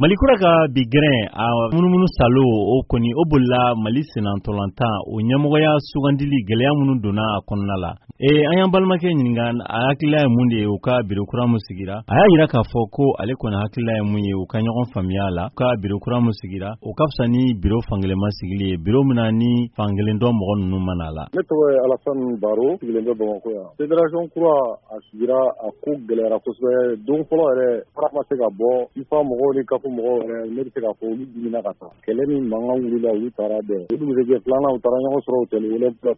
Mali kura ka bi gɛrɛn a munumunu salo, o kɔni o bolila Mali sennantolatan o ɲɛmɔgɔya sugandili gɛlɛya minnu donna a kɔnɔna la. An y'an balimakɛ ɲininka, a hakilila ye mun de ye u ka biro kura min sigira. A y'a yira k'a fɔ ko ale kɔni hakilila ye mun ye, u ka ɲɔgɔn faamuya la, u ka biro kura min sigira, o ka fisa ni biro fankelenma sigili ye, biro min na ni fankelen dɔ mɔgɔ ninnu mana la. Ne tɔgɔ ye Alasani Baro, sigilen bɛ Bamakɔ yan. Fédération kura a sigira, a ko gɛlɛyara kosɛbɛ. Don fɔlɔ yɛrɛ, fara ma se ka bɔ. FIFA mɔgɔw ni CAF mɔgɔw yɛrɛ, ne bɛ se k'a fɔ olu dimina ka taa. Kɛlɛ ni mankan wulila, olu taara bɛn. O dugusɛjɛ filanan, u taara ɲɔgɔn sɔrɔ hôtel Olympia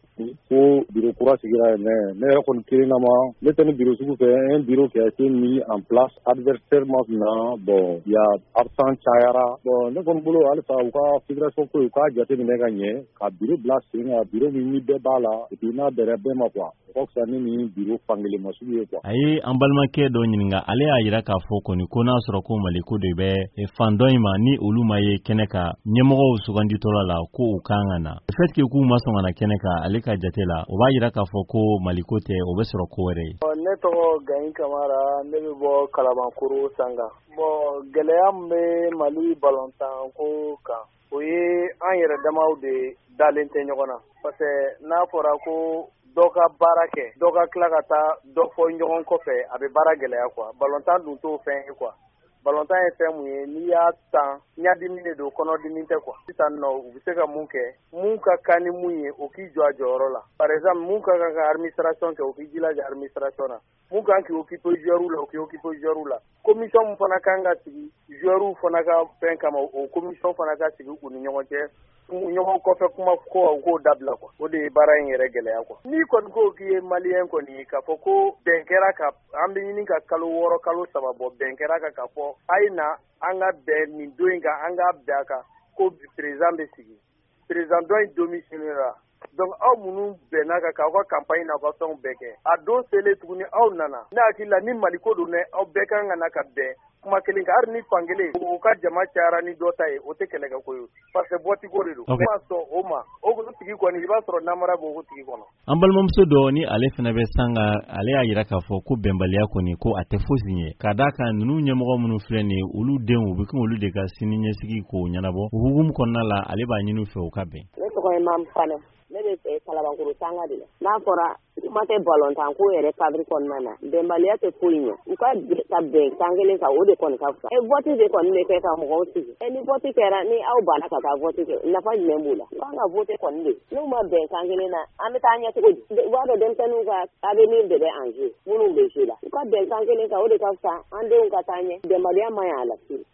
ko bureau kura sigira yen. Mais ne yɛrɛ kɔni kelen na ma, ne tɛ ni bureau sugu fɛ, un bureau qui a été mis en place adversaire ma na. Bon, il y a absent cayara. Bon, ne kɔni bolo, halisa u ka fédération ko, u k'a jateminɛ ka ɲɛ, ka bureau bila sen kan, bureau min ni bɛɛ b'a la et puis n'a bɛnna bɛɛ ma quoi, o ka fisa ni nin bureau fankelen ma sugu ye quoi. A ye an balimakɛ dɔ ɲininka, ale y'a yira k'a fɔ kɔni ko n'a sɔrɔ ko Mali ko de bɛ fan dɔ in ma, ni olu ma ye kɛnɛ kan ɲɛmɔgɔw suganditɔla la, ko u kan ka na. Le fait que k'u ma sɔn ka na kɛnɛ kan, ale ka jate la, o b'a yira k'a fɔ ko Mali ko tɛ, o bɛ sɔrɔ ko wɛrɛ ye. Ne tɔgɔ Gayi Kamara, ne bɛ bɔ Kalabankoro Sanga. Bon, gɛlɛya min bɛ Mali balontan ko kan, o ye an yɛrɛ damaw de dalen tɛ ɲɔgɔn na, parce que n'a fɔra ko dɔ ka baara kɛ, dɔ ka tila ka taa dɔ fɔ ɲɔgɔn kɔfɛ, a bɛ baara gɛlɛya quoi. Balontan dun t'o fɛn ye quoi. Balontan ye fɛn mun ye, n'i y'a tan, ɲadimi de don, kɔnɔdimi tɛ quoi. Sisan nɔ, u bɛ se ka mun kɛ, mun ka kan ni mun ye, o k'i jɔ a jɔyɔrɔ la. Par exemple, mun ka kan ka administration kɛ, o k'i jilaja administration na. Mun kan k'i occuper joueur la, o k'i occuper joueur la. Commission mun fana kan ka sigi joueur fana ka fɛn kama, o commission fana ka sigi u ni ɲɔgɔn cɛ. Ɲɔgɔn kɔfɛ kuma ko, u k'o dabila quoi. O de ye baara in yɛrɛ gɛlɛya quoi. N'i kɔni ko k'i ye Malien kɔni ye, k'a fɔ ko bɛn kɛra ka an bɛ ɲini ka kalo 6, kalo 3 bɔ, bɛn kɛra kan k'a fɔ a ye na an ka bɛn nin don in kan, an ka bɛn a kan ko président bɛ sigi, président dɔ in démissionné ra. Donc aw minnu bɛnna kan k'aw ka campagne n'aw ka fɛnw bɛɛ kɛ, a don selen tuguni, aw nana. Ne hakili la, ni Maliko don dɛ, aw bɛɛ kan ka na ka bɛn kuma kelen kan. Hali ni fankelen o ka jama cayara ni dɔ ta ye, o tɛ kɛlɛkɛ ko ye, parce que vote ko de don. Ma sɔn o ma, o tigi kɔni, i b'a sɔrɔ namara b'o tigi kɔnɔ. An balimamuso dɔ ni ale fana bɛ Sanga, ale y'a yira k'a fɔ ko bɛnbaliya kɔni, ko a tɛ fosi ɲɛ, ka d'a kan ninnu ɲɛmɔgɔ minnu filɛ nin ye, olu denw u bɛ kɛ olu de ka sini ɲɛsigi k'o ɲɛnabɔ. O hukumu kɔnɔna la, ale b'a ɲini u fɛ u ka bɛn. Ne tɔgɔ ye Mamu Fanɛ, ne bɛ Kalabankoro Sanga de la. N'a fɔra kuma tɛ balontan ko yɛrɛ cadre kɔnɔna na, bɛnbaliya tɛ foyi ɲɛ. U ka ka bɛn kan kelen kan, o de kɔni ka fisa. E vote de kɔni bɛ kɛ ka mɔgɔw sigi. E ni vote kɛra, ni aw banna ka taa vote kɛ, nafa jumɛn b'o la? U kan ka vote kɔni de. N'u ma bɛn kan kelen na, an bɛ taa ɲɛ cogo di? U b'a dɔn denmisɛnninw ka avenir de bɛ en jeu, minnu bɛ jeu la. U ka bɛn kan kelen kan, o de ka fisa, an denw ka taa ɲɛ. Bɛnbaliya man ɲi a la fiyewu.